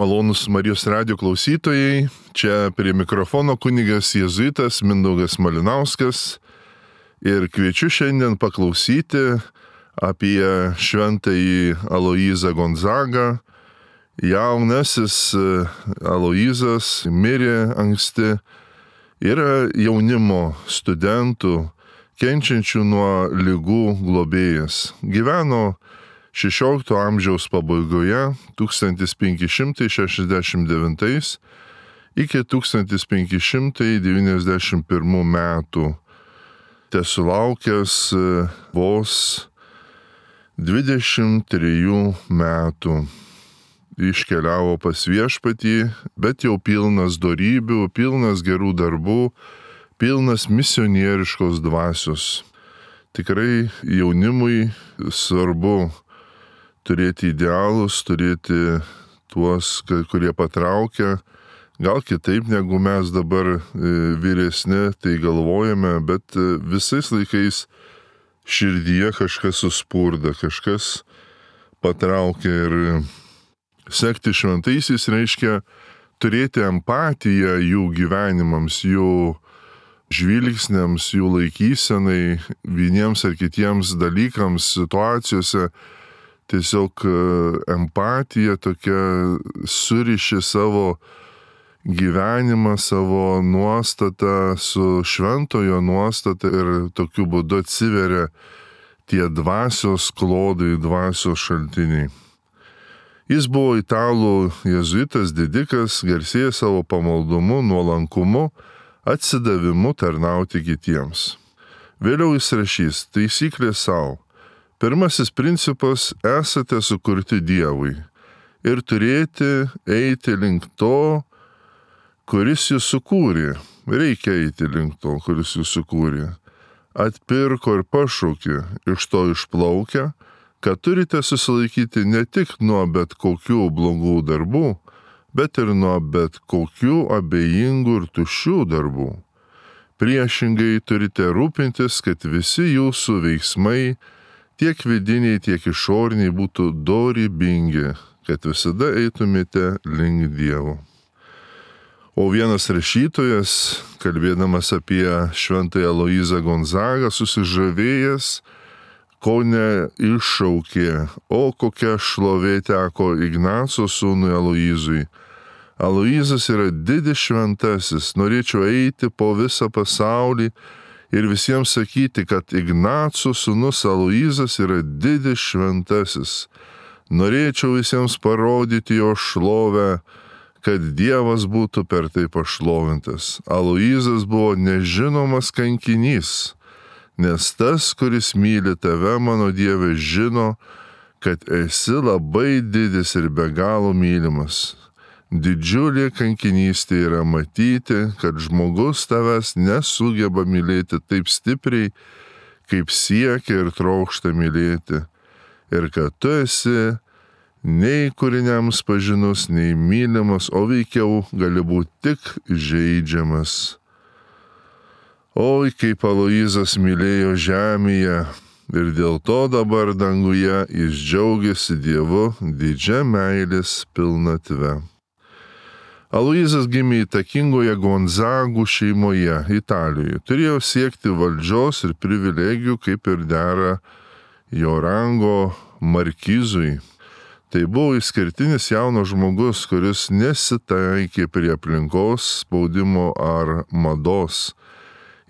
Malonūs Marijos radijo klausytojai, čia prie mikrofono kunigas jėzuitas Mindaugas Malinauskas ir kviečiu šiandien paklausyti apie šventąjį Aloyzą Gonzagą. Jaunasis Aloyzas mirė anksti, yra jaunimo studentų, kenčiančių nuo ligų globėjas. Gyveno 16 amžiaus pabaigoje 1569 iki 1591 metų, tesulaukęs vos 23 metų. Iškeliavo pas Viešpatį, bet jau pilnas dorybių, pilnas gerų darbų, pilnas misionieriškos dvasios. Tikrai jaunimui svarbu turėti idealus, turėti tuos, kurie patraukia, gal kitaip negu mes dabar vyresni, tai galvojame, bet visais laikais širdyje kažkas suspurda, kažkas patraukia ir sekti šventaisiais reiškia turėti empatiją jų gyvenimams, jų žvilgsniams, jų laikysenai, vieniems ar kitiems dalykams, situacijose. Tiesiog empatija tokia suriši savo gyvenimą, savo nuostatą su šventojo nuostata ir tokiu būdu atsiveria tie dvasios klodai, dvasios šaltiniai. Jis buvo italų jėzuitas didikas, garsėja savo pamaldumu, nuolankumu, atsidavimu tarnauti kitiems. Vėliau jis rašys taisyklė savo. Pirmasis principas – esate sukurti Dievui ir turėti eiti link to, kuris jūs sukūrė. Reikia eiti link to, kuris jūs sukūrė. Atpirko ir pašaukė, iš to išplaukia, kad turite susilaikyti ne tik nuo bet kokių blogų darbų, bet ir nuo bet kokių abejingų ir tuščių darbų. Priešingai turite rūpintis, kad visi jūsų veiksmai tiek vidiniai, tiek išoriniai būtų dorybingi, kad visada eitumėte link Dievo. O vienas rašytojas, kalbėdamas apie šventąją Aloyzą Gonzagą, susižavėjęs, kone iššaukė, o kokia šlovė teko Ignaco sūnui Aloyzui. Aloyzas yra didis šventasis, norėčiau eiti po visą pasaulį ir visiems sakyti, kad Ignaco sūnus Aloyzas yra didis šventasis. Norėčiau visiems parodyti jo šlovę, kad Dievas būtų per tai pašlovintas. Aloyzas buvo nežinomas kankinys, nes tas, kuris myli tave, mano Dieve, žino, kad esi labai didis ir be galo mylimas. Didžiulė kankinystė yra matyti, kad žmogus tavęs nesugeba mylėti taip stipriai, kaip siekia ir trokšta mylėti, ir kad tu esi nei kūriniams pažinus, nei mylimas, o veikiau gali būti tik žeidžiamas. Oi, kaip Aloyzas mylėjo žemėje ir dėl to dabar danguje jis džiaugiasi Dievu didžia meilės pilnatve. Aloyzas gimė įtakingoje Gonzagų šeimoje Italijoje. Turėjo siekti valdžios ir privilegijų, kaip ir dera jo rango markizui. Tai buvo išskirtinis jaunas žmogus, kuris nesitaikė prie aplinkos spaudimo ar mados.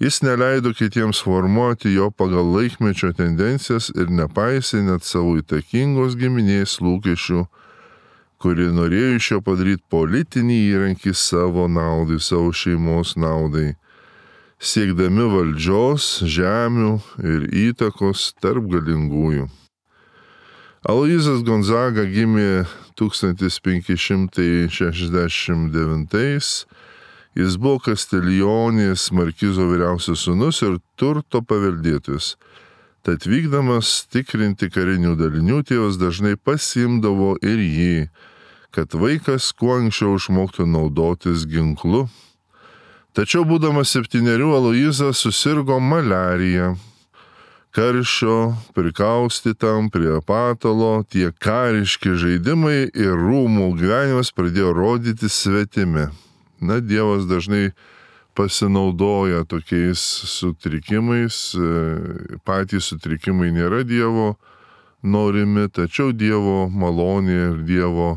Jis neleido kitiems formuoti jo pagal laikmečio tendencijas ir nepaisė net savo įtakingos giminės lūkesčių, kuri norėjo iš jo padaryti politinį įrankį savo naudai, savo šeimos naudai, siekdami valdžios, žemių ir įtakos tarp galingųjų. Aloyzas Gonzaga gimė 1569. Jis buvo Kastiljonės markizo vyriausias sūnus ir turto paveldėtojas. Tad vykdamas tikrinti karinių dalinių, tėvas dažnai pasiimdavo ir jį, kad vaikas kuo anksčiau išmoktų naudotis ginklu. Tačiau būdamas 7 Aloyzas susirgo maliarija. karščio, prikaustytam prie patalo, tie kariški žaidimai ir rūmų gyvenimas pradėjo rodyti svetimi. Na, Dievas dažnai pasinaudoja tokiais sutrikimais, patys sutrikimai nėra Dievo norimi, tačiau Dievo malonė ir Dievo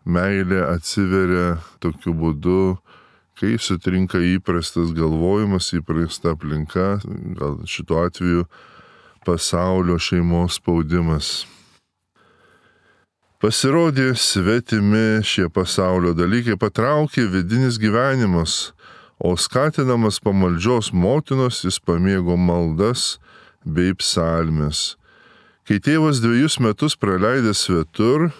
meilė atsiveria tokiu būdu, kai sutrinka įprastas galvojimas, įprasta aplinka, gal šituo atveju pasaulio šeimos spaudimas. Pasirodė svetimi šie pasaulio dalykai, patraukė vidinis gyvenimas, o skatinamas pamaldžios motinos jis pamėgo maldas bei psalmes. Kai tėvas 2 metus praleidęs svetur,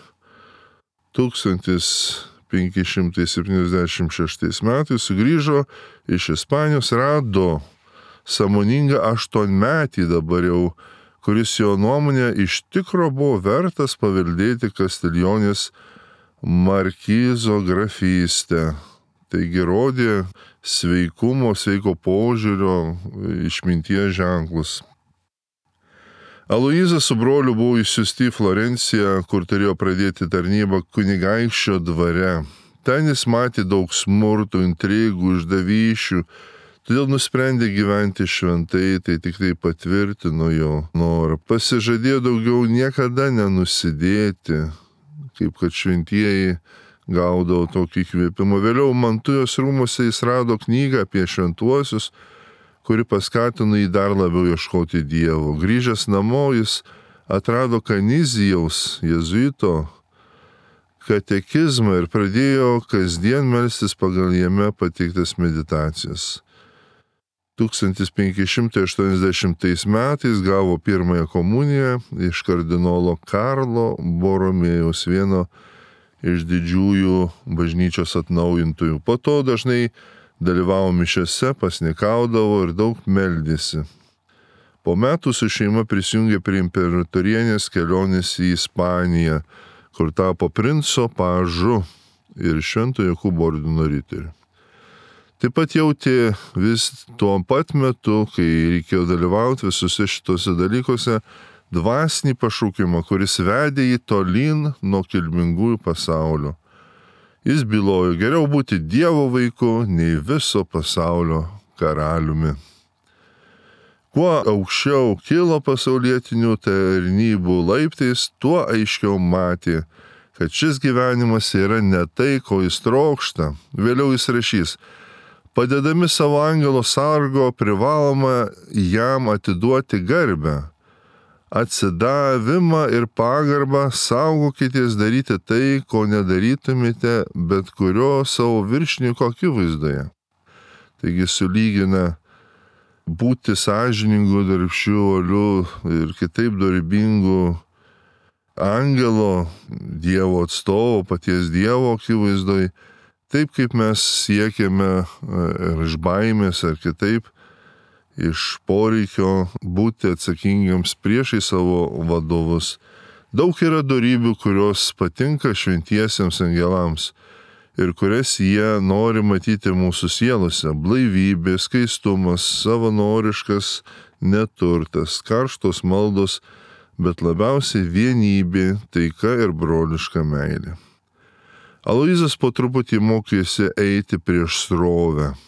1576 metais sugrįžo iš Ispanijos, rado sąmoningą 8-metį dabar jau, kuris jo nuomonė iš tikro buvo vertas paveldėti Kastiljonės markizo grafystę. Taigi rodė sveikumo, sveiko požiūrio, išminties ženklus. Aloyzas su broliu buvo išsiųsti į Florenciją, kur turėjo pradėti tarnybą kunigaikščio dvare. Ten jis matė daug smurtų, intrigų, išdavysčių, todėl nusprendė gyventi šventai, tai tik tai patvirtino jo norą. Pasižadėjo daugiau niekada nenusidėti, kaip kad šventieji gaudavo tokį įkvėpimą. Vėliau Mantujos rūmuose jis rado knygą apie šventuosius, kuri paskatino jį dar labiau ieškoti Dievo. Grįžęs namo jis atrado Kanizijaus jėzuito katekizmą ir pradėjo kasdien melstis pagal jame pateiktas meditacijas. 1580 metais gavo pirmąją komuniją iš kardinolo Karlo Boromėjaus, vieno iš didžiųjų bažnyčios atnaujintojų. Po to dažnai dalyvavo mišiose, pasnikaudavo ir daug meldėsi. Po metų su šeima prisijungė prie imperatorienės kelionės į Ispaniją, kur tapo princo pažu ir Švento Jokūbo ordino riteriu. Taip pat jautė vis tuo pat metu, kai reikėjo dalyvauti visuose šitose dalykuose, dvasinį pašaukimą, kuris vedė jį tolyn nuo kilmingųjų pasaulio. Jis bylojo, geriau būti Dievo vaiku, nei viso pasaulio karaliumi. Kuo aukščiau kilo pasaulietinių tarnybų laiptais, tuo aiškiau matė, kad šis gyvenimas yra ne tai, ko jis trokšta. Vėliau jis rašys, padedami savo angelo sargo privaloma jam atiduoti garbę. Atsidavimą ir pagarbą saugokitės daryti tai, ko nedarytumėte bet kurio savo viršininko akivaizdoje. Taigi sulygina būti sąžiningu, darbščiu, uoliu ir kitaip dorybingu angelo, Dievo atstovo, paties Dievo akivaizdoje, taip kaip mes siekiame ir iš baimės ar kitaip, iš poreikio būti atsakingiams priešai savo vadovus. Daug yra dorybių, kurios patinka šventiesiems angelams ir kurias jie nori matyti mūsų sielose. Blaivybė, skaistumas, savanoriškas neturtas, karštos maldos, bet labiausiai vienybė, taika ir broliška meilė. Aloyzas po truputį mokėsi eiti prieš srovę.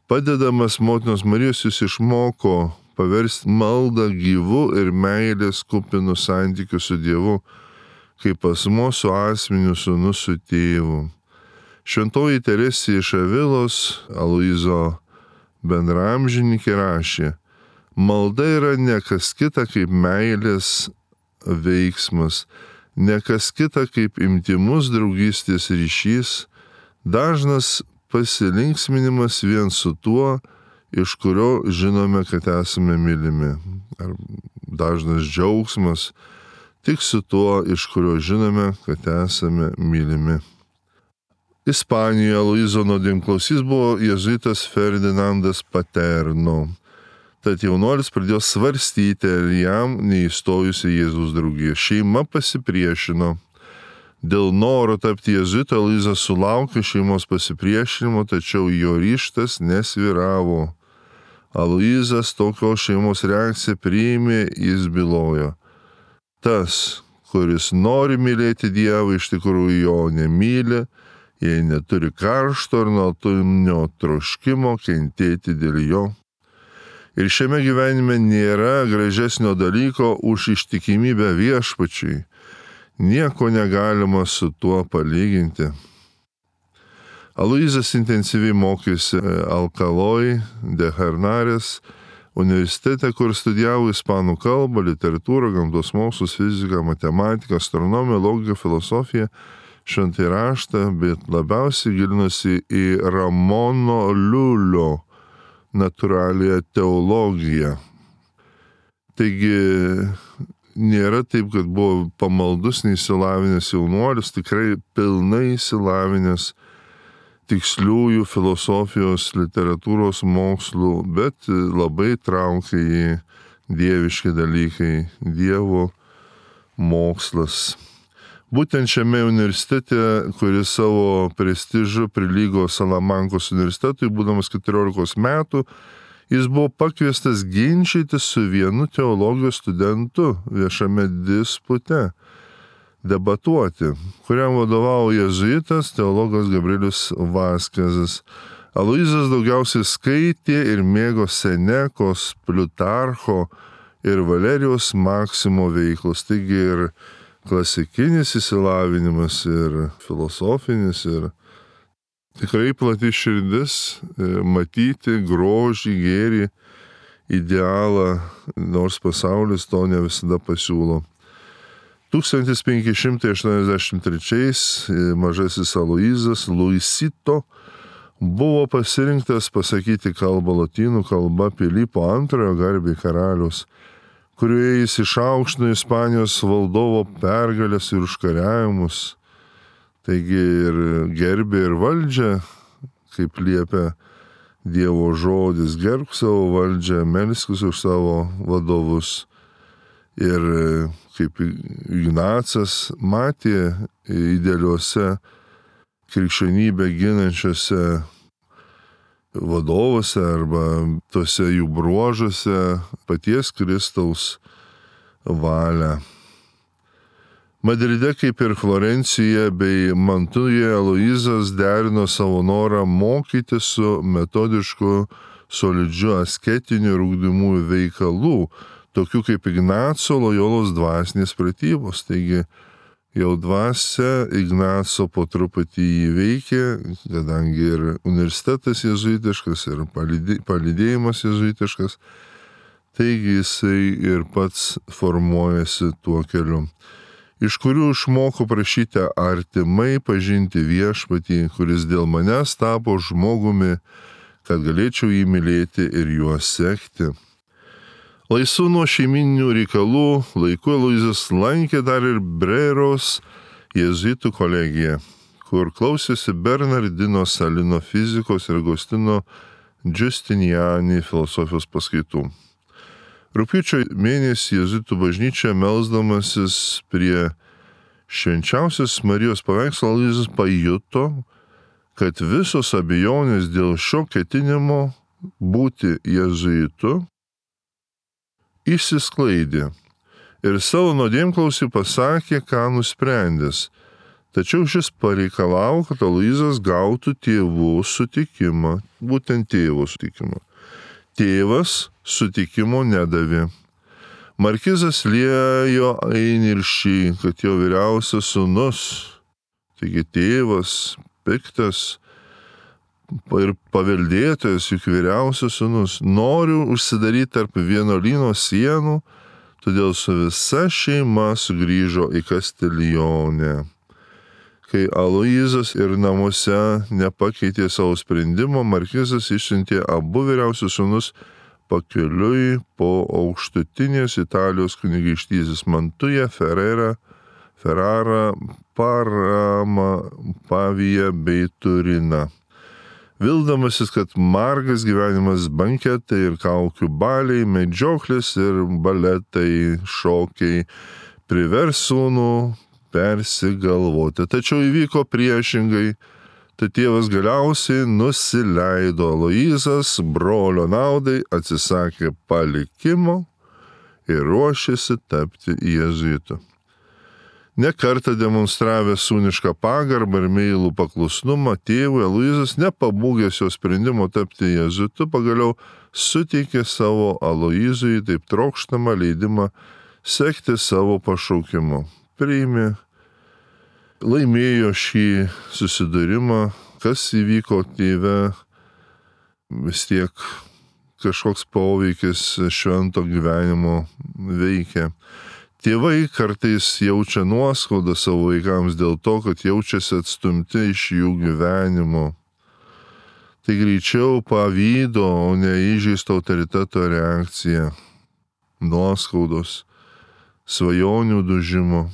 Padedamas motinos Marijos jis išmoko paversti maldą gyvu ir meilės kupinu santykiu su Dievu, kaip asmuo su asmeniu, sūnus su tėvu. Šventoji Teresė iš Avilos, Aloyzo bendraamžininkė, rašė, malda yra ne kas kita kaip meilės veiksmas, ne kas kita kaip intymus draugystės ryšys, dažnas pasilinksminimas vien su tuo, iš kurio žinome, kad esame mylimi. Ar dažnas džiaugsmas tik su tuo, iš kurio žinome, kad esame mylimi. Ispanijoje Aloyzo nuodėmklausys buvo jėzuitas Ferdinandas Paterno. Tad jaunuolis pradėjo svarstyti, ar jam neįstojus į Jėzaus draugiją. Šeima pasipriešino. Dėl noro tapti jėzuitu Aloyzas sulaukė šeimos pasipriešinimo, tačiau jo ryžtas nesvyravo. Aloyzas tokios šeimos reakciją priėmė, jis bylojo. Tas, kuris nori mylėti Dievą, iš tikrųjų jo nemyli, jei neturi karšto ir nuolatinio troškimo kentėti dėl jo. Ir šiame gyvenime nėra gražesnio dalyko už ištikimybę viešpačiui. Nieko negalima su tuo palyginti. Aloyzas intensyviai mokėsi Alcaloj de Henares universitete, kur studijavo ispanų kalbą, literatūrą, gamtos mokslus, fiziką, matematiką, astronomiją, logiką, filosofiją, šventąjį raštą, bet labiausiai gilinosi į Ramono Liulio natūralią teologiją. Taigi nėra taip, kad buvo pamaldus, neįsilavinęs jaunuolis, tikrai pilnai įsilavinęs tiksliųjų filosofijos, literatūros mokslų, bet labai traukia į dieviški dalykai, Dievo mokslas. Būtent šiame universitete, kuris savo prestižu prilygo Salamankos universitetui, būdamas 14 metų, jis buvo pakviestas ginčytis su vienu teologijos studentu viešame dispute, debatuoti, kuriam vadovavo jėzuitas teologas Gabrielius Vaskezas. Aloyzas daugiausiai skaitė ir mėgo Senekos, Pliutarcho ir Valerijaus Maksimo veiklos, taigi ir klasikinis įsilavinimas, ir filosofinis, ir tikrai plati širdis matyti grožį, gėrį, idealą, nors pasaulis to ne visada pasiūlo. 1583 mažasis Aloyzas Luisito buvo pasirinktas pasakyti kalbą lotynų kalba Pilypo II garbei karalius, kurioje jis išaukštino Ispanijos valdovo pergalės ir užkariavimus. Taigi ir gerbė ir valdžią, kaip liepia Dievo žodis, gerbk savo valdžią, melskis už savo vadovus. Ir kaip Ignacas matė idealiuose krikščionybę ginančiose vadovuose arba tose jų bruožuose paties Kristaus valią. Madride, kaip ir Florencijoje bei Mantujoje, Aloyzas derino savo norą mokyti su metodišku, solidžiu asketiniu ir ugdymųjų veikalų, tokių kaip Ignaco Lojolos dvasinės pratybos. Taigi jau dvasia Ignaco po truputį įveikė, kadangi ir universitetas jėzuitiškas, ir palydėjimas jėzuitiškas, taigi jisai ir pats formuojasi tuo keliu, iš kurių išmoko prašyti artimai pažinti viešpatį, kuris dėl manęs tapo žmogumi, kad galėčiau jį mylėti ir juo sekti. Laisvu nuo šeiminių reikalų laiku Aloyzas lankė dar ir Breros jėzuitų kolegiją, kur klausėsi Bernardino Salino fizikos ir Agostino Giustiniani filosofijos paskaitų. Rugpjūčio mėnesį jėzuitų bažnyčioje melsdamasis prie švenčiausios Marijos paveikslo Aloyzas pajuto, kad visos abejonės dėl šio ketinimo būti jėzuitu išsisklaidė ir savo nuodėmklausį pasakė, ką nusprendęs. Tačiau šis pareikalavo, kad Aloyzas gautų tėvų sutikimą, būtent tėvo sutikimą. Tėvas sutikimo nedavė. Markizas liejo įniršį, kad jo vyriausias sūnus, taigi tėvas, piktas ir paveldėtojas, juk vyriausias sūnus, noriu užsidaryti tarp vienuolyno sienų, todėl su visa šeima sugrįžo į Kastiljonę. Kai Aloyzas ir namuose nepakeitė savo sprendimo, markizas išsiuntė abu vyriausius sūnus pakeliui po aukštutinės Italijos kunigaikštystės Mantują, Ferrarą, Paramą, Paviją bei Turiną. Vildamasis, kad margas gyvenimas banketai ir kaukių baliai, medžioklės ir baletai, šokiai privers sūnų persigalvoti. Tačiau įvyko priešingai, Tai tėvas galiausiai nusileido. Aloyzas brolio naudai atsisakė palikimo ir ruošėsi tapti jėzuitu. Ne kartą demonstravęs sūnišką pagarbą ir meilų paklusnumą tėvui, Aloyzas, nepabūgęs jo sprendimo tapti jėzuitu, pagaliau suteikė savo Aloyzui taip trokštamą leidimą sekti savo pašaukimu. Priėmė, laimėjo šį susidūrimą, kas įvyko tėve, vis tiek kažkoks poveikis švento gyvenimo veikia. Tėvai kartais jaučia nuoskaudą savo vaikams dėl to, kad jaučiasi atstumti iš jų gyvenimo. Tai greičiau pavydo, o ne įžeisto autoriteto reakcija, nuoskaudos, svajonių dužimo,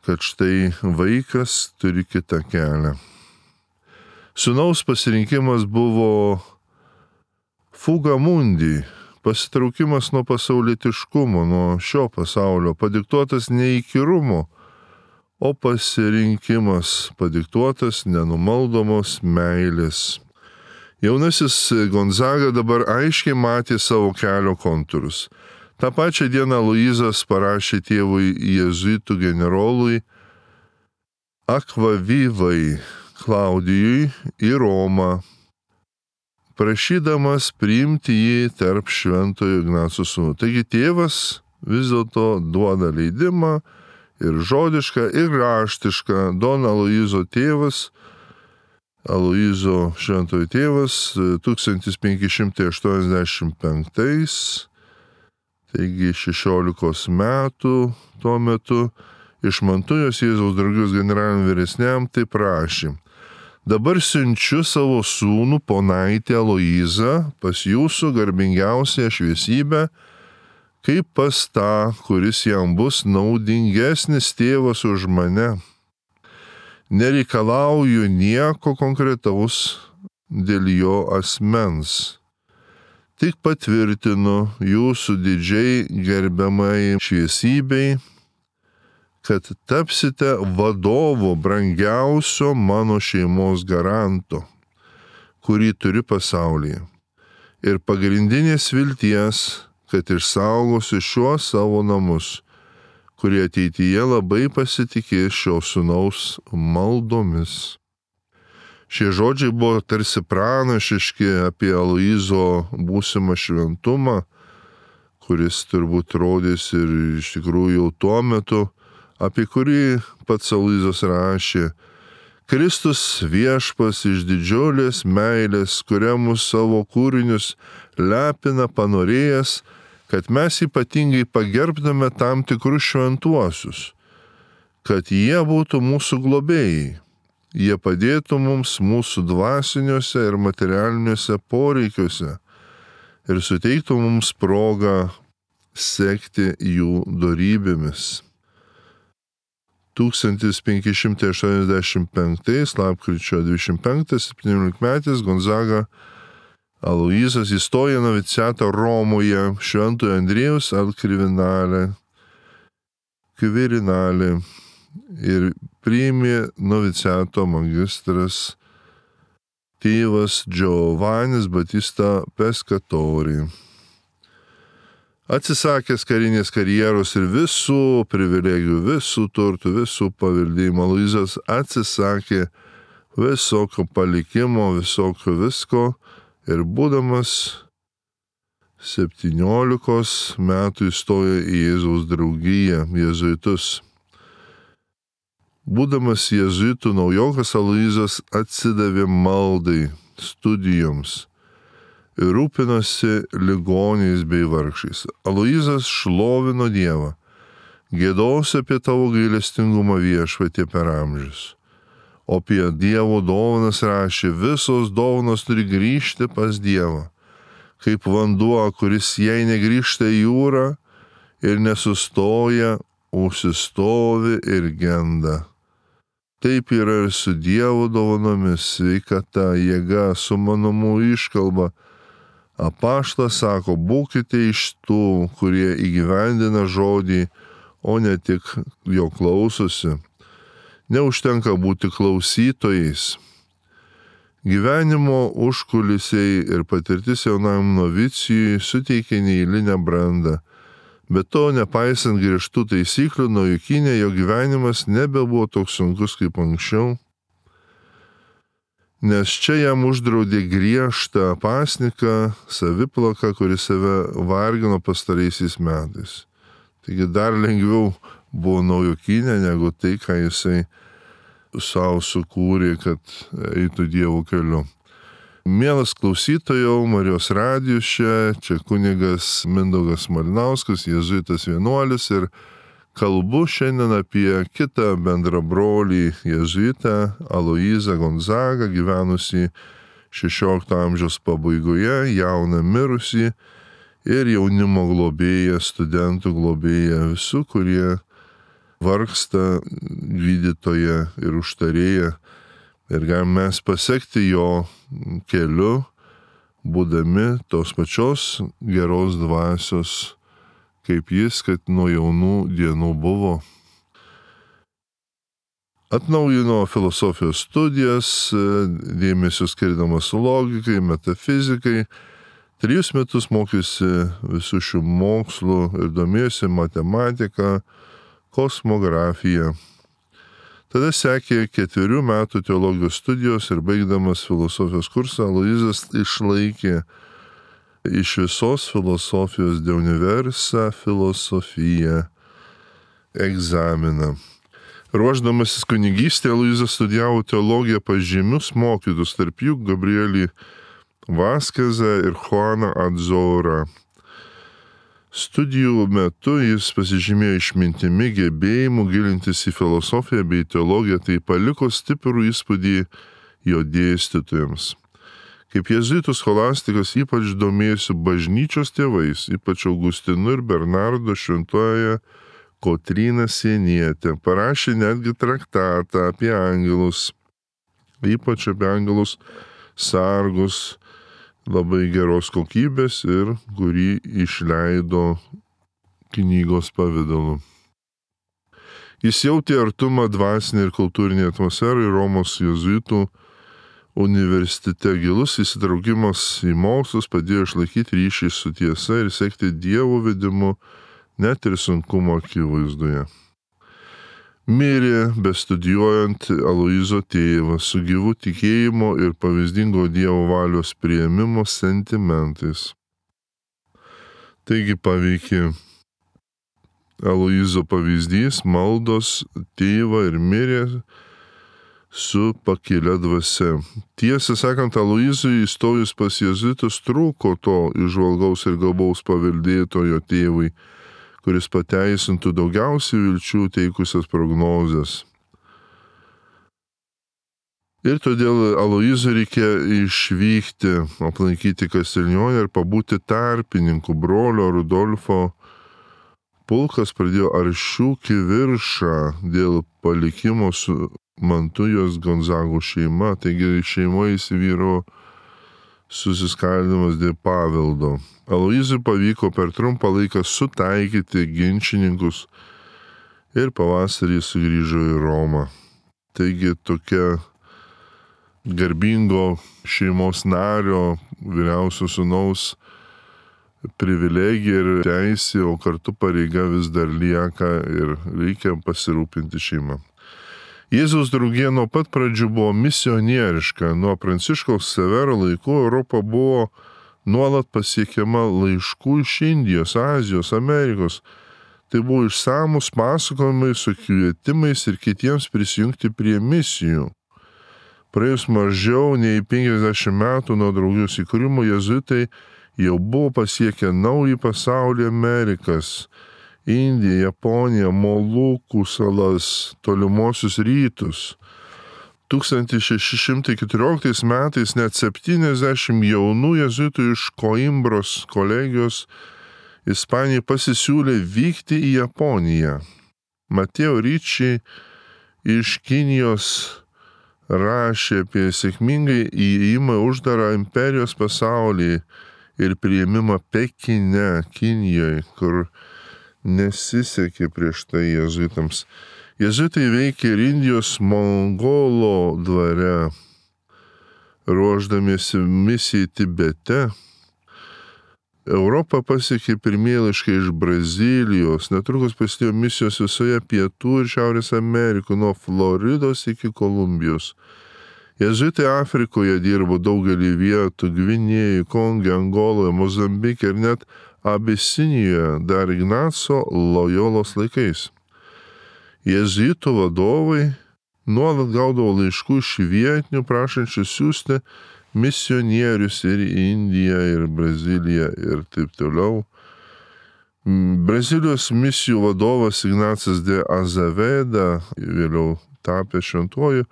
kad štai vaikas turi kitą kelią. Sūnaus pasirinkimas buvo fuga mundi, pasitraukimas nuo pasaulietiškumo, nuo šio pasaulio, padiktuotas ne įkyrumo, o pasirinkimas padiktuotas nenumaldomos meilės. Jaunasis Gonzaga dabar aiškiai matė savo kelio kontūrus. Ta pačia diena Aloyzas parašė tėvui jėzuitų generolui Akvavivai Klaudijui į Romą, prašydamas priimti jį tarp šventojo Ignaco sūnų. Taigi tėvas vis dėlto duoda leidimą ir žodišką, ir raštišką. Don Aloyzo tėvas, Aloyzo šventojo tėvas 1585, taigi 16 metų tuo metu, iš Mantujos Jėzaus draugijos generaliniam vyresniam tai prašė: dabar siunčiu savo sūnų ponaitį Aloyzą pas jūsų garbingiausią šviesybę, kaip pas tą, kuris jam bus naudingesnis tėvas už mane. Nereikalauju nieko konkretaus dėl jo asmens. Tik patvirtinu jūsų didžiai gerbiamai šviesybei, kad tapsite vadovu brangiausio mano šeimos garanto, kurį turiu pasaulyje, ir pagrindinės vilties, kad išsaugosiu šiuos savo namus, kurie ateityje labai pasitikės šio sūnaus maldomis. Šie žodžiai buvo tarsi pranašiški apie Aloyzo būsimą šventumą, kuris turbūt rodys ir iš tikrųjų jau tuo metu, apie kurį pats Aloyzas rašė: Kristus viešpas iš didžiulės meilės, kuria mus savo kūrinius lepina panorėjęs, kad mes ypatingai pagerbdame tam tikrus šventuosius, kad jie būtų mūsų globėjai, jie padėtų mums mūsų dvasiniuose ir materialiniuose poreikiuose ir suteiktų mums progą sekti jų dorybėmis. 1585 lapkričio 25-17 Gonzaga Aloyzas įstojo noviciatą Romoje Šventojo Andriejaus al Quirinale ir priėmė noviciato magistras tėvas Giovannis Battista Pescatori. Atsisakęs karinės karjeros ir visų privilegijų, visų turtų, visų paveldėjimų, Aloyzas atsisakė visokio palikimo, visokio visko ir būdamas 17 metų įstojo į Jėzaus draugiją, jėzuitus. Būdamas jėzuitų naujokas, Aloyzas atsidavė maldai, studijoms ir rūpinosi ligoniais bei vargšais. Aloyzas šlovino Dievą, gėdos apie tavo gailestingumą viešpatie per amžius. O apie Dievo dovanas rašė: visos dovanos turi grįžti pas Dievą, kaip vanduo, kuris jei negrįžta į jūrą ir nesustoja, užsistovi ir genda. Taip yra ir su Dievo dovanomis, sveikata, jėga, sumanumu, iškalba. Apaštalas sako: būkite iš tų, kurie įgyvendina žodį, o ne tik jo klausosi. neužtenka būti klausytojais. Gyvenimo užkulisiai ir patirtis jaunam novicijui suteikia neeilinę brandą. Bet to, nepaisant griežtų taisyklių, Naujokyne jo gyvenimas nebebuvo toks sunkus kaip anksčiau, nes čia jam uždraudė griežtą pasniką, saviplaką, kuris save vargino pastaraisiais metais. Taigi dar lengviau buvo Naujokyne negu tai, ką jisai savo sukūrė, kad eitų Dievo keliu. Mielas klausytojau, Marijos radijus čia kunigas Mindaugas Malinauskas, jėzuitas vienuolis, ir kalbu šiandien apie kitą bendrabrolį jėzuitą Aloyzą Gonzagą, gyvenusį 16 amžiaus pabaigoje, jauną mirusį ir jaunimo globėją, studentų globėją, visų, kurie vargsta, gydytoją ir užtarėją. Ir galime mes pasekti jo keliu, būdami tos pačios geros dvasios, kaip jis, kad nuo jaunų dienų buvo. Atnaujino filosofijos studijas, dėmesio skirdamas logikai, metafizikai. 3 metus mokėsi visų šių mokslų ir domėjosi matematika, kosmografija. Tada sekė 4 metų teologijos studijos ir baigdamas filosofijos kursą, Aloyzas išlaikė iš visos filosofijos de universa filosofija egzaminą. Ruošdamasis kunigystėje, Aloyzas studijavo teologiją pas žymius mokytus, tarp jų Gabrielį Vaskezą ir Juaną Adzorą. Studijų metu jis pasižymėjo išmintimi, gebėjimu gilintis į filosofiją bei teologiją, tai paliko stiprų įspūdį jo dėstytojams. Kaip jėzuitų scholastikas ypač domėjosi bažnyčios tėvais, ypač Augustinu ir Bernardo, šventojoje Kotryna Sienietė. Parašė netgi traktatą apie angelus, ypač apie angelus sargus, labai geros kokybės ir kurį išleido knygos pavidalu. Jis jautė artumą dvasinį ir kultūrinį atmosferą ir Romos jėzuitų universitete. Gilus įsitraukimas į mokslus padėjo išlaikyti ryšį su tiesa ir sekti Dievo vedimu net ir sunkumo akivaizdoje. Mirė bestudijuojant Aloyzo tėvą su gyvu tikėjimo ir pavyzdingo Dievo valios priėmimo sentimentais. Taigi paveikė Aloyzo pavyzdys, maldos tėvą ir mirė su pakilia dvasia. Tiesą sakant, Aloyzui įstojus pas jėzuitus trūko to įžvalgaus ir gabaus paveldėtojo tėvui, kuris pateisintų daugiausiai vilčių teikusias prognozes. Ir todėl Aloyzui reikia išvykti, aplankyti Kastilionę ir pabūti tarpininku. Brolio Rudolfo pulkas pradėjo aršių kiviršą dėl palikimo su Mantujos Gonzagų šeima, taigi šeimoje įsivyro susiskaldimas dėl paveldo. Aloyzui pavyko per trumpą laiką sutaikyti ginčininkus ir pavasarį sugrįžo į Romą. Taigi tokia garbingo šeimos nario, vyriausio sūnaus privilegija ir teisė, o kartu pareiga vis dar lieka ir reikia pasirūpinti šeimą. Jėzaus draugija nuo pat pradžių buvo misionieriška. Nuo Pranciškaus Severo laikų Europa buvo nuolat pasiekiama laiškų iš Indijos, Azijos, Amerikos. Tai buvo išsamus pasakojimai su kvietimais ir kitiems prisijungti prie misijų. Praėjus mažiau nei 50 metų nuo draugijos įkūrimo, jėzuitai jau buvo pasiekę naują pasaulį, Amerikas, Indiją, Japoniją, Molukų salas, tolimuosius rytus. 1614 metais net 70 jaunų jėzuitų iš Koimbros kolegijos Ispanijai pasisiūlė vykti į Japoniją. Mateo Ricci iš Kinijos rašė apie sėkmingai įėjimą uždarą imperijos pasaulį ir priėmimą Pekine, Kinijoje, kur nesisekė prieš tai jėzuitams. Jėzuitai veikė ir Indijos Mongolo dvare, ruošdamiesi misijai Tibete. Europą pasiekė pirmieji laiškai iš Brazilijos, netrukus prasidėjo misijos visoje Pietų ir Šiaurės Amerikoje, nuo Floridos iki Kolumbijos. Jėzuitai Afrikoje dirbo daugelį vietų - Gvinėjoje, Konge, Angoloje, Mozambike ir net Abisinijoje dar Ignaco Lojolos laikais. Jėzuitų vadovai nuolat gaudavo laiškų iš vietinių prašančių siųsti misionierius ir į Indiją, ir Braziliją, ir taip toliau. Brazilijos misijų vadovas Ignacas de Azaveda, vėliau tapęs šventuoju,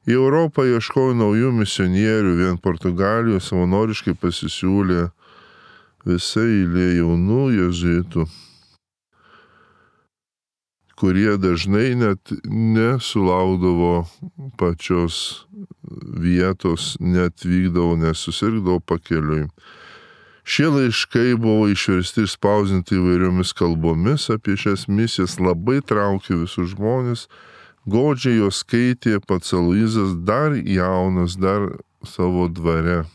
į Europą ieškojo naujų misionierių, vien Portugalijoje savanoriškai pasisiūlė visa eilė jaunų jėzuitų, kurie dažnai net nesulaukdavo pačios vietos, net vykdavo, nesusirgdavo pakeliui. Šie laiškai buvo išversti ir spausdinti įvairiomis kalbomis apie šias misijas, labai traukė visus žmonės, godžiai jos skaitė pats Aloyzas, dar jaunas, dar savo dvare.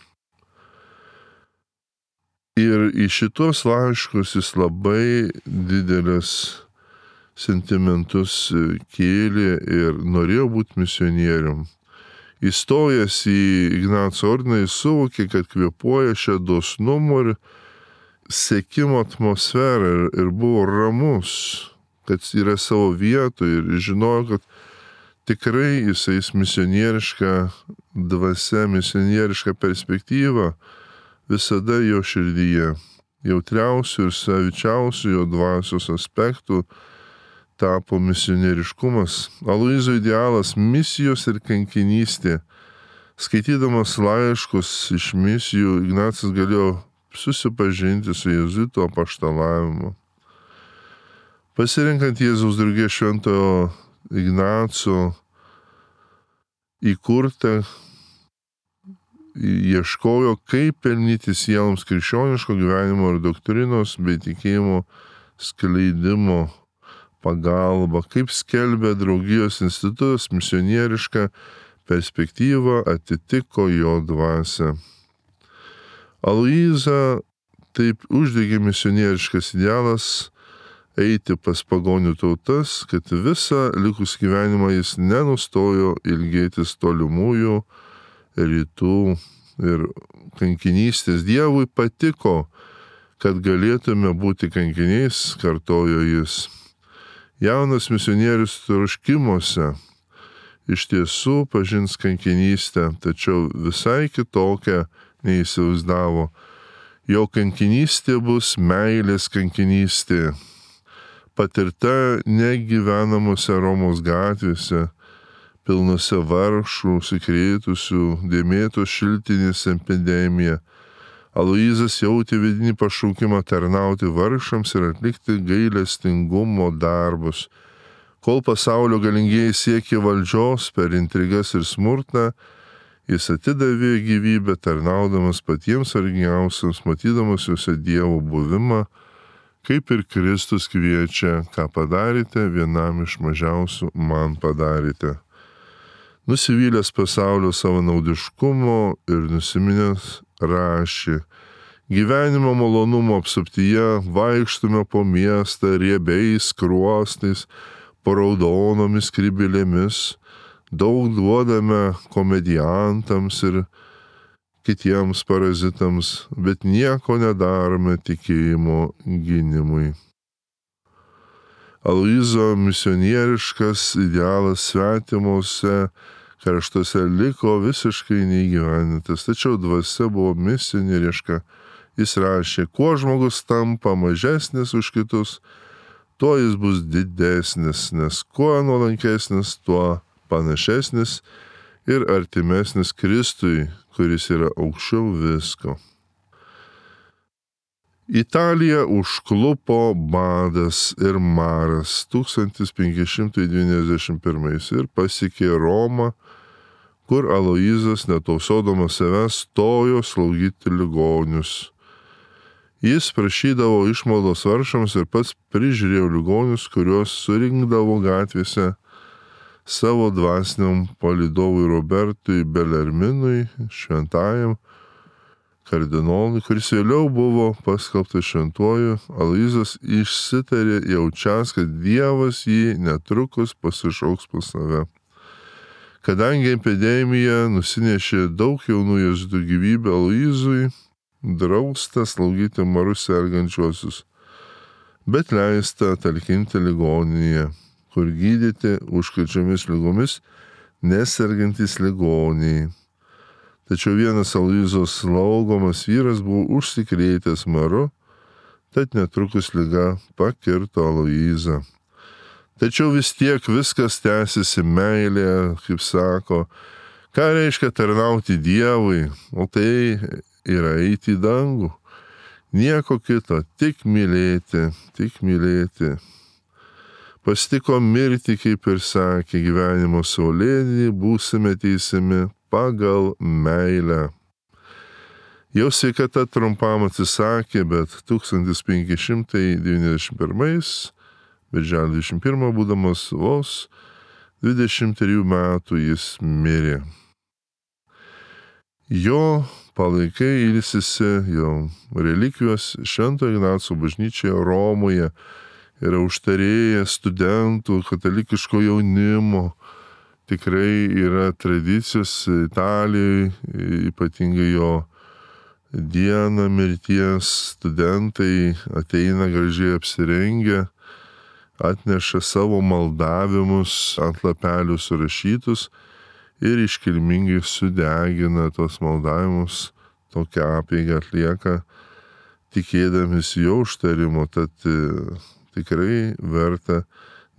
Ir į šitos laiškus jis labai didelis sentimentus kėlė ir norėjo būti misionierium. Įstojęs į Ignaco ordiną, jis suvokė, kad kvėpuoja šią dosnumo ir sekimo atmosferą ir buvo ramus, kad yra savo vietoje ir žinojo, kad tikrai jisai misionieriška dvasia, misionieriška perspektyva visada jo širdyje. Jautriausių ir savičiausių jo dvasios aspektų tapo misionieriškumas. Aloyzo idealas - misijos ir kankinystė. Skaitydamas laiškus iš misijų, Ignacas galėjo susipažinti su jėzuitų apaštalavimu. Pasirinkant Jėzaus draugės šventojo Ignaco įkurtą, ieškojo, kaip pelnyti sieloms krikščioniško gyvenimo ir doktrinos bei tikėjimo skleidimo pagalba, kaip skelbė draugijos institutas, misionieriška perspektyva atitiko jo dvasią. Aloyzą taip uždegė misionieriškas idealas eiti pas pagonių tautas, kad visą likus gyvenimą jis nenustojo ilgėtis tolimųjų rytų ir kankinystės. Dievui patiko, kad galėtume būti kankiniais, kartojo jis. Jaunas misionierius troškimuose iš tiesų pažins kankinystę, tačiau visai kitokią neįsivaizdavo. Jo kankinystė bus meilės kankinystė, patirta negyvenamuose Romos gatvėse, pilnuose vargšų, užsikrėtusių, dėmėtos šiltinės epidemija. Aloyzas jautė vidinį pašaukimą tarnauti vargšams ir atlikti gailestingumo darbus. Kol pasaulio galingieji siekė valdžios per intrigas ir smurtą, jis atidavė gyvybę tarnaudamas patiems vargiausiams, matydamas juose Dievo buvimą, kaip ir Kristus kviečia, ką padarėte vienam iš mažiausių, man padarėte. Nusivylęs pasaulio savanaudiškumo ir nusiminęs rašė: gyvenimo malonumo apsuptyje vaikštume po miestą riebiais skruostais, po raudonomis skrybėlėmis, daug duodame komediantams ir kitiems parazitams, bet nieko nedarome tikėjimo gynimui. Aloyzo misionieriškas idealas svetimuose kraštuose liko visiškai neįgyvendintas, tačiau dvasia buvo misionieriška. Jis rašė: kuo žmogus tampa mažesnis už kitus, tuo jis bus didesnis, nes kuo nuolankesnis, tuo panašesnis ir artimesnis Kristui, kuris yra aukščiau visko. Italiją užklupo badas ir maras 1591 ir pasiekė Romą, kur Aloyzas, netausodamas savęs, stojo slaugyti ligonius. Jis prašydavo išmaldos vargšams ir pats prižiūrėjo ligonius, kuriuos surinkdavo gatvėse. savo dvasiniam palydovui Robertui Belerminui, šventajam kardinolui, kuris vėliau buvo paskelbtas šventuoju, Aloyzas išsitarė jaučias, kad Dievas jį netrukus pasišauks pas save. Kadangi epidemija nusinešė daug jaunų jėzuitų gyvybę, Aloyzui drausta slaugyti marus sergančiuosius, bet leista talkinti ligoninėje, kur gydyti užkrečiamis ligomis nesergantys ligoniai. Tačiau vienas Aloyzos slaugomas vyras buvo užsikrėtęs maru, tad netrukus liga pakirto Aloyzą. Tačiau vis tiek viskas tęsiasi meilėje, kaip sako, ką reiškia tarnauti Dievui, o tai yra eiti į dangų. Nieko kito, tik mylėti, tik mylėti. Pastiko mirti, kaip ir sakė, gyvenimo saulėdį, būsime teisiami pagal meilę. Jau sveikata trumpam atsisakė, bet 1591 birželio 21 būdamas vos 23 metų jis mirė. Jo palaikai ilsisi, jo relikvijos Švento Ignaco bažnyčioje Romoje, yra užtarėję studentų, katalikiško jaunimo. Tikrai yra tradicijos Italijoje, ypatingai jo dieną mirties studentai ateina gražiai apsirengę, atneša savo maldavimus ant lapelių surašytus ir iškilmingai sudegina tos maldavimus, tokią apeigą atlieka, tikėdamisi jo užtarimo, tad tikrai verta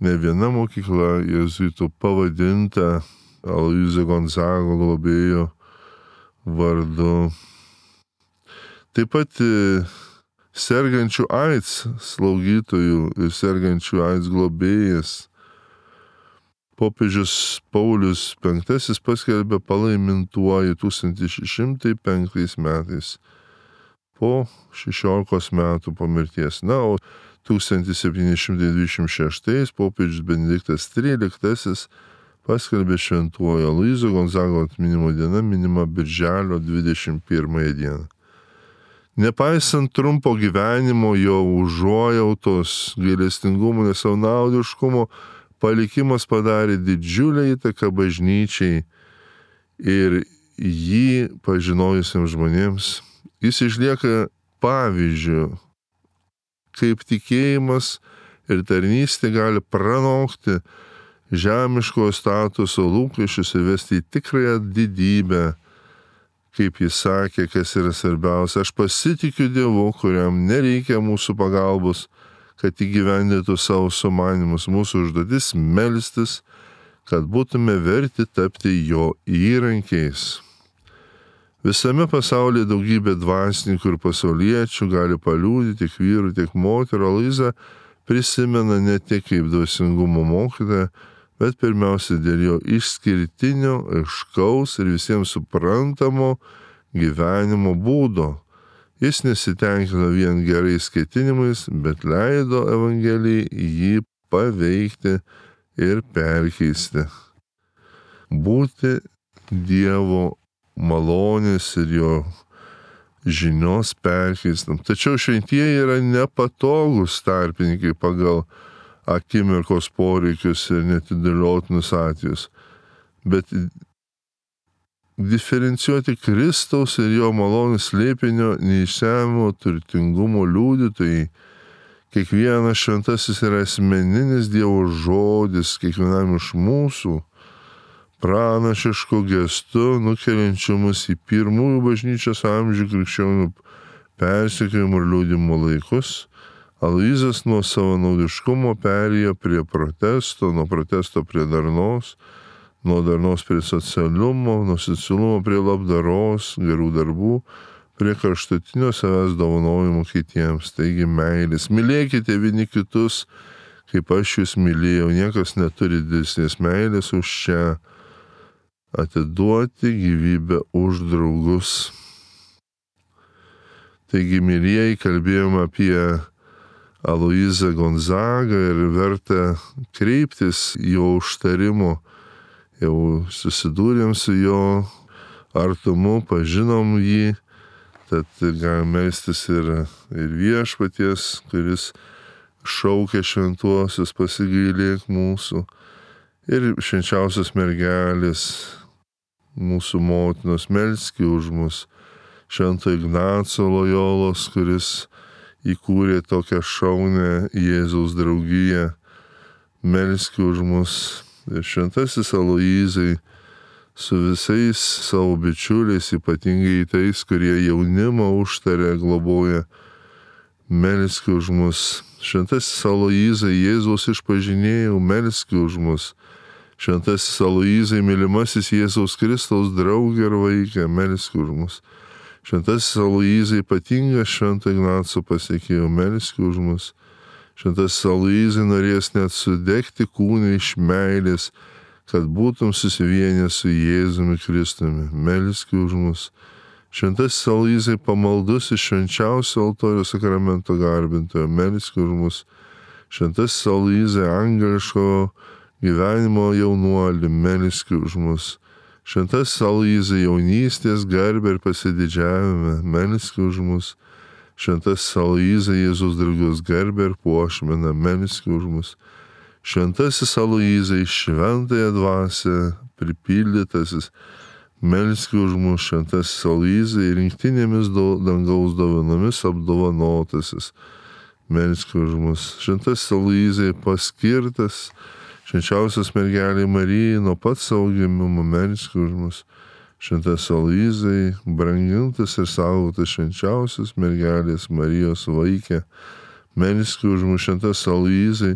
ne viena mokykla jėzuitų pavadinta Aloyzo Gonzago globėjo vardu. Taip pat sergančių AIDS slaugytojų ir sergančių AIDS globėjas popiežius Paulius V paskelbė palaimintuoju 1605 metais po 16 metų po mirties. Na, o 1726 popiežius Benediktas XIII paskelbė šventuoju Aloyzo Gonzago atminimo diena minima birželio 21 dieną. Nepaisant trumpo gyvenimo, jo užuojautos, gailestingumo, nesavanaudiškumo, palikimas padarė didžiulę įtaką bažnyčiai ir jį pažinojusiems žmonėms. Jis išlieka pavyzdžiu, kaip tikėjimas ir tarnystė gali pranokti žemiško statuso lūkesčius ir vesti į tikrąją didybę. Kaip jis sakė, kas yra svarbiausia, aš pasitikiu Dievu, kuriam nereikia mūsų pagalbos, kad įgyvendintų savo sumanymus. Mūsų užduotis melstis, kad būtume verti tapti jo įrankiais. Visame pasaulyje daugybė dvasininkų ir pasauliečių gali paliudyti tiek vyrų, tiek moterų. Aloyzą prisimena ne tik kaip dvasingumo mokytoją, bet pirmiausia dėl jo išskirtinio, aiškaus ir visiems suprantamo gyvenimo būdo. Jis nesitenkino vien gerais ketinimais, bet leido Evangelijai jį paveikti ir perkeisti. Būti Dievo malonės ir jo žinios perkeistam. Tačiau šventieji yra nepatogus tarpininkai pagal akimirkos poreikius ir netidėliotinus atvejus. Bet diferencijuoti Kristaus ir jo malonės slėpinio neišsemiamo turtingumo liudytojai. Kiekvienas šventasis yra asmeninis Dievo žodis, kiekvienam iš mūsų pranašišku gestu nukeliančiu mus į pirmųjų bažnyčios amžių krikščionių persekiojimų ir liudijimo laikus. Aloyzas nuo savanaudiškumo perėjo prie protesto, nuo protesto prie darnos, nuo darnos prie socialumo, nuo socialumo prie labdaros, gerų darbų, prie kraštutinio savęs dovanojimo kitiems. Taigi meilės. Mylėkite vieni kitus, kaip aš jūs mylėjau. Niekas neturi didesnės meilės už šią atiduoti gyvybę už draugus. Taigi, mylėjai, kalbėjome apie Aloyzą Gonzagą ir verta kreiptis jo užtarimo jau susidūrėm su jo artumu, pažinom jį, tad galim melstis ir viešpaties, kuris šaukia šventuosius, pasigailėk mūsų, ir švenčiausios mergelės, mūsų motinos, melski už mus, Švento Ignaco Lojolos, kuris įkūrė tokią šaunę Jėzaus draugiją, melski už mus, ir šventasis Aloyzai, su visais savo bičiuliais, ypatingai tais, kurie jaunimą užtarė, globoja, melski už mus. Šventasis Aloyzai, Jėzaus išpažinėjau, melski už mus. Šventasis Aloyzai, mylimasis Jėzaus Kristaus draugė ir vaikė, melski už mus. Šventasis Aloyzai, ypatingas Švento Ignaco pasiekėjau, melski už mus. Šventasis Aloyzai, norės net sudegti kūną iš meilės, kad būtum susivienęs su Jėzumi Kristumi, melski už mus. Šventasis Aloyzai, pamaldus iš švenčiausio altoriaus sakramento garbintojo, melski už mus. Šventasis Aloyzai, angeliško gyvenimo jaunuoli, melski už mus. Šventasis Aloyzai, jaunystės garbę ir pasididžiavimą, melski už mus. Šventasis Aloyzai, Jėzaus draugijos garbę ir puošmeną, melski už mus. Šventasis Aloyzai, šventąją dvasią pripildytasis, melski už mus. Šventasis Aloyzai, rinktinėmis dangaus dovanomis apdovanotasis, melski už mus. Šventasis Aloyzai, paskirtas švenčiausios mergelei Marijai nuo pat savo gimimo, melski už mus. Šventasis Aloyzai, brangintas ir saugotas švenčiausios mergelės Marijos vaikė, melski už mus. Šventasis Aloyzai,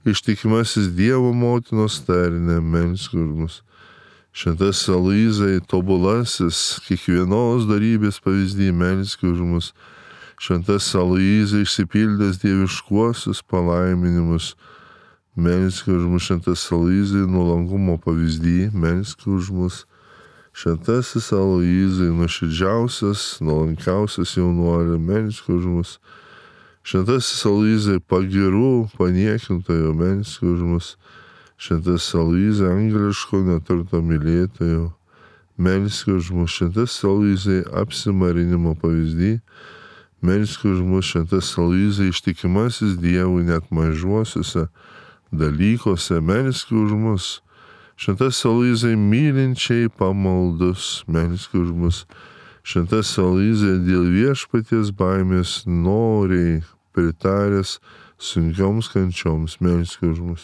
ištikimasis Dievo motinos tarne, melski už mus. Šventasis Aloyzai, tobulasis kiekvienos darybės pavyzdį, melski už mus. Šventasis Aloyzai, išsipildęs dieviškuosius palaiminimus, melski už mus. Šventasis Aloyzai, nuolankumo pavyzdį, melski už mus. Šventasis Aloyzai, nuoširdžiausias, nuolankiausias jaunuoli, melski už mus. Šventasis Aloyzai, pagirų paniekintojo, melski už mus. Šventasis Aloyzai, angeliško neturto mylėtojo, melski už mus. Šventasis Aloyzai, apsimarinimo pavyzdį, melski už mus. Šventasis Aloyzai, ištikimasis Dievui net mažuosiuose dalykuose, melski už mus. Šventasis Aloyzai, mylinčiai pamaldus, melski už mus. Šventasis Aloyzai, dėl viešpaties baimės noriai pritaręs sunkioms kančioms, melski už mus.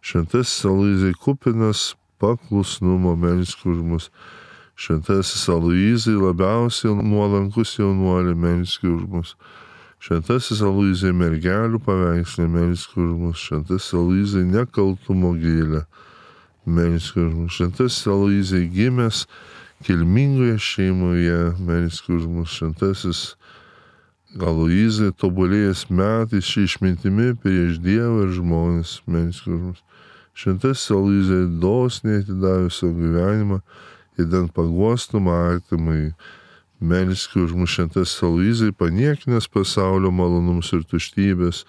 Šventasis Aloyzai, kupinas paklusnumo, melski už mus. Šventasis Aloyzai, labiausiai nuolankus jaunuoli, melski už mus. Šventasis Aloyzai, mergelių paveikslė, melski už mus. Šventasis Aloyzai, nekaltumo gėlė, melski už mus. Šventasis Aloyzai, gimęs kilmingoje šeimoje, melski už mus. Šventasis Aloyzai, tobulėjęs metais šį išmintimi prieš Dievą ir žmonės, melski už mus. Šventasis Aloyzai, dosniai atidavęs savo gyvenimą, idant paguostum artimai, melski už mus. Šventasis Aloyzai, paniekinęs pasaulio malonumus ir tuštybės,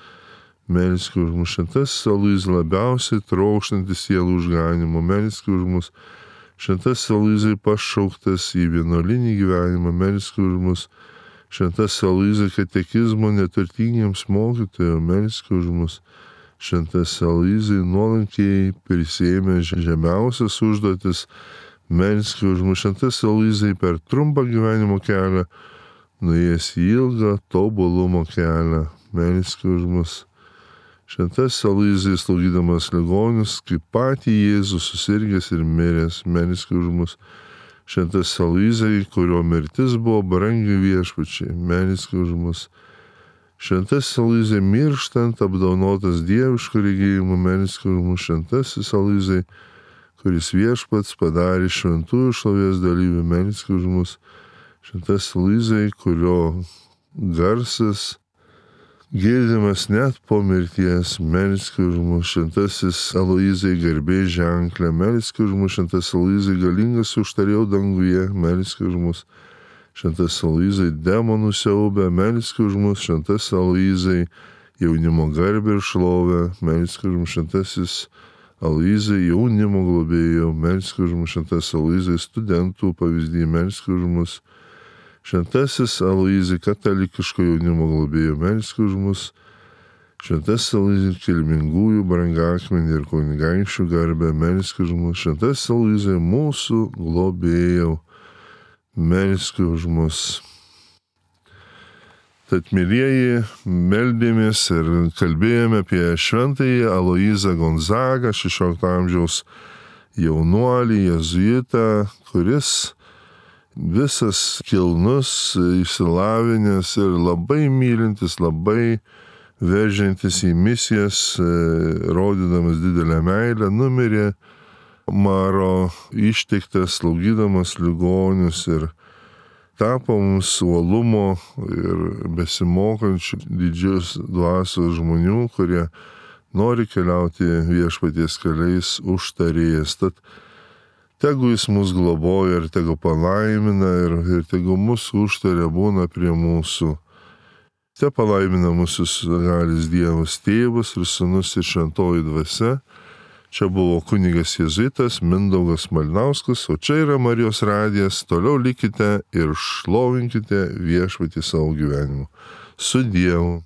melski už mus. Šventasis Aloyzai, labiausiai trokštantis sielų išganimo, melski už mus. Šventasis Aloyzai, pašauktas į vienuolinį gyvenimą, melski už mus. Šventasis Aloyzai, katekizmo neturtingiems mokytojams, melski už mus. Šventasis Aloyzai, nuolankiai prisiėmė žemiausias užduotis, melski už mus. Šventasis Aloyzai, per trumpą gyvenimo kelią nuėjęs į ilgą tobulumo kelią, melski už mus. Šventasis Aloyzai, slaugydamas ligonius, kaip patį Jėzų susirgęs ir miręs, melski už mus. Šventasis Aloyzai, kurio mirtis buvo brangi viešpačiai, melski už mus. Šventasis Aloyzai, mirštant apdovanotas dieviško regėjimu, melski už mus. Šventasis Aloyzai, kuris viešpats padarė šventųjų šlovės dalyvių, melski už mus. Šventasis Aloyzai, kurio garsas girdimas net po mirties, melski už mus. Šventasis Aloyzai, garbės ženklė, melski už mus. Šventasis Aloyzai, galingas užtarėjau danguje, melski už mus. Šventasis Aloyzai, demonų siaubė, melski už mus. Šventasis Aloyzai, jaunimo garbę ir šlovę, melski už mus. Šventasis Aloyzai jaunimo globėjau, melsk už mus. Šventas Aloyzai studentų pavyzdį, melsk už mus. Šventasis Aloyzai katalikiško jaunimo globėjau, melsk už mus. Šventasis Aloyzai kilmingųjų brangakmenį ir kunigaikščių garbę, melsk už mus. Šventasis Aloyzai mūsų globėjau, melsk už mus. Tad, mylieji, meldėmės ir kalbėjome apie šventąjį Aloyzą Gonzagą, 16 amžiaus jaunuolį, jėzuitą, kuris visas kilnus, išsilavinęs ir labai mylintis, labai veržiantis į misijas, rodydamas didelę meilę, numirė maro ištiktas, slaugydamas ligonius ir tapo mums uolumo ir besimokančių didžios dvasios žmonių, kurie nori keliauti viešpaties keliais užtarėjas. Tad tegu jis mus globoja ir tegu palaimina ir tegu mus užtarė būna prie mūsų. Te palaimina mūsų galis Dievas Tėvas ir Sūnus ir Šventoji Dvasia. Čia buvo kunigas jėzuitas Mindaugas Malinauskas, o čia yra Marijos radijas. Toliau likite ir šlovinkite viešpatį savo gyvenimu. Su Dievu.